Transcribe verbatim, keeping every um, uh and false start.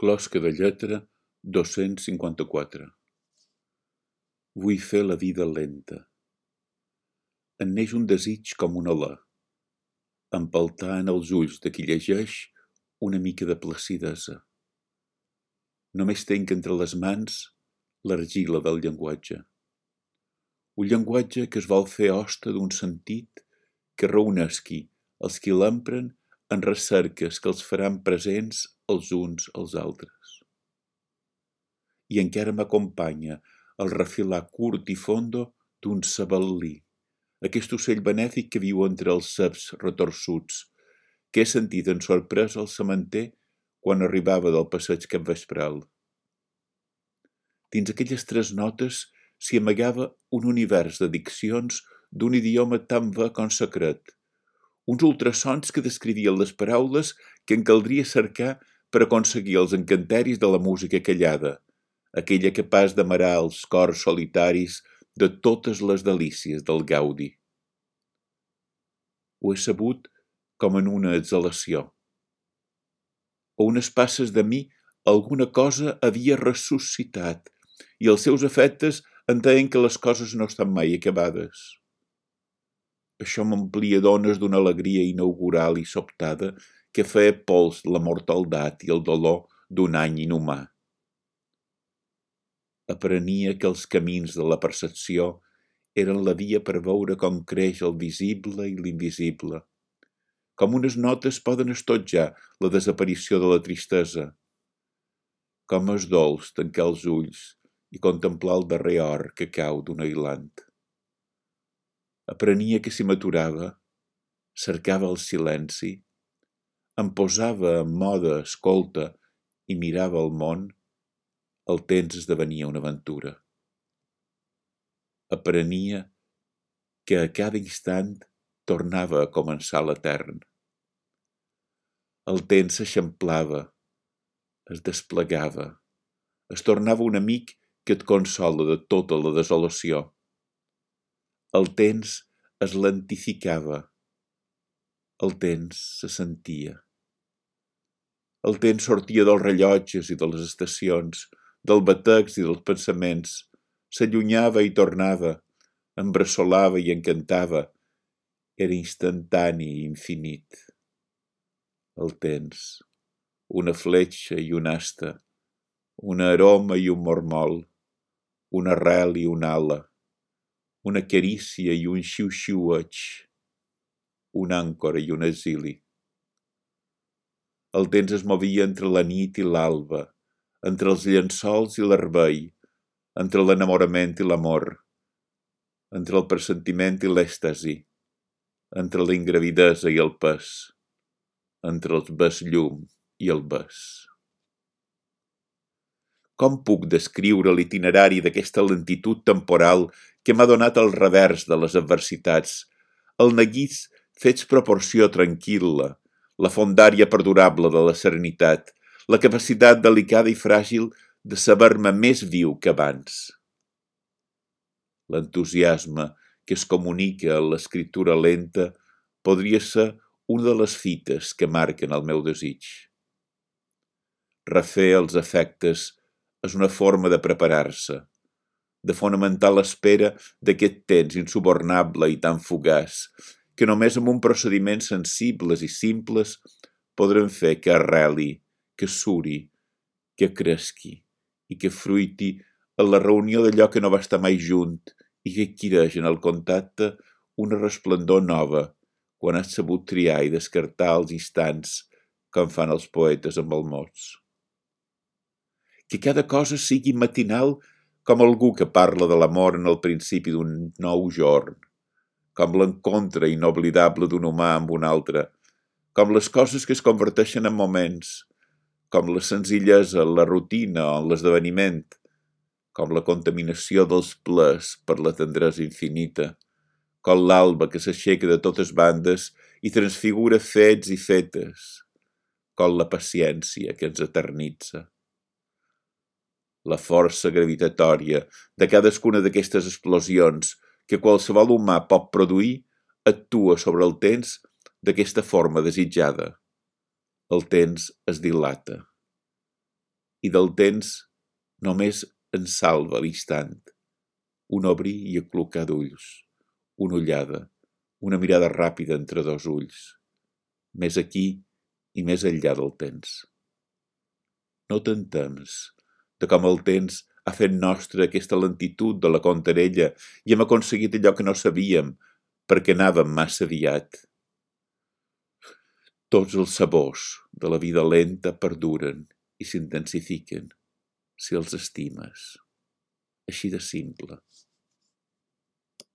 Closca de lletra dos-cents cinquanta-quatre. Vull fer la vida lenta. En neix un desig com un alè, empeltar en els ulls de qui llegeix una mica de placidesa. Només tenc entre les mans l'argila del llenguatge. Un llenguatge que es vol fer hoste d'un sentit que reunesqui els qui l'empren en recerques que els faran presents els uns als altres. I encara m'acompanya el refilar curt i fondo d'un sabel·lí, aquest ocell benèfic que viu entre els ceps retorçuts, que he sentit en sorpresa al sementer quan arribava del passeig capvespral. Dins aquelles tres notes s'hi amagava un univers de diccions d'un idioma tan va com secret, uns ultrasons que descrivien les paraules que en caldria cercar per aconseguir els encanteris de la música callada, aquella capaç d'amarar els cors solitaris de totes les delícies del gaudi. Ho he sabut com en una exhalació. A unes passes de mi alguna cosa havia ressuscitat i els seus efectes em deien que les coses no estan mai acabades. Això m'omplia d'ones d'una alegria inaugural i sobtada que feia pols la mortaldat i el dolor d'un any inhumà. Aprenia que els camins de la percepció eren la via per veure com creix el visible i l'invisible, com unes notes poden estotjar la desaparició de la tristesa, com és dolç tancar els ulls i contemplar el darrer or que cau d'un ailant. Aprenia que si m'aturava, cercava el silenci, em posava en mode escolta i mirava el món, el temps esdevenia una aventura. Aprenia que a cada instant tornava a començar l'etern. El temps s'eixamplava, es desplegava, es tornava un amic que et consola de tota la desolació. El temps es lentificava, el temps se sentia. El temps sortia dels rellotges i de les estacions, del batecs i dels pensaments, s'allunyava i tornava, embressolava i encantava, era instantani i infinit. El temps, una fletxa i una asta, una aroma i un mormol, una arrel i una ala, una carícia i un xiu-xiueig, una àncora i un exili. El temps es movia entre la nit i l'alba, entre els llençols i l'herbei, entre l'enamorament i l'amor, entre el pressentiment i l'èxtasi, entre la ingravidesa i el pes, entre el bes-llum i el bes. Com puc descriure l'itinerari d'aquesta lentitud temporal que m'ha donat el revers de les adversitats, el neguís fets proporció tranquil·la, la fondària perdurable de la serenitat, la capacitat delicada i fràgil de saber-me més viu que abans. L'entusiasme que es comunica en l'escriptura lenta podria ser una de les fites que marquen el meu desig. Refer els efectes és una forma de preparar-se, de fonamentar l'espera d'aquest temps insubornable i tan fugaç, que només amb un procediment sensibles i simples podrem fer que arreli, que suri, que cresqui i que fruiti en la reunió d'allò que no va estar mai junt i que adquireix en el contacte una resplendor nova quan has sabut triar i descartar els instants com fan els poetes amb els mots. Que cada cosa sigui matinal com algú que parla de l'amor en el principi d'un nou jorn, com l'encontre inoblidable d'un humà amb un altre, com les coses que es converteixen en moments, com la senzillesa en la rutina o en l'esdeveniment, com la contaminació dels plers per la tendresa infinita, com l'alba que s'aixeca de totes bandes i transfigura fets i fetes, com la paciència que ens eternitza. La força gravitatòria de cadascuna d'aquestes explosions que qualsevol humà pot produir actua sobre el temps d'aquesta forma desitjada. El temps es dilata. i del temps només en salva l'instant. Un obrir i aclucar d'ulls, una ullada, una mirada ràpida entre dos ulls, més aquí i més enllà del temps. No te'n temps de com el temps ha fet nostra aquesta lentitud de la contarella i hem aconseguit allò que no sabíem perquè anàvem massa aviat. Tots els sabors de la vida lenta perduren i s'intensifiquen si els estimes. Així de simple.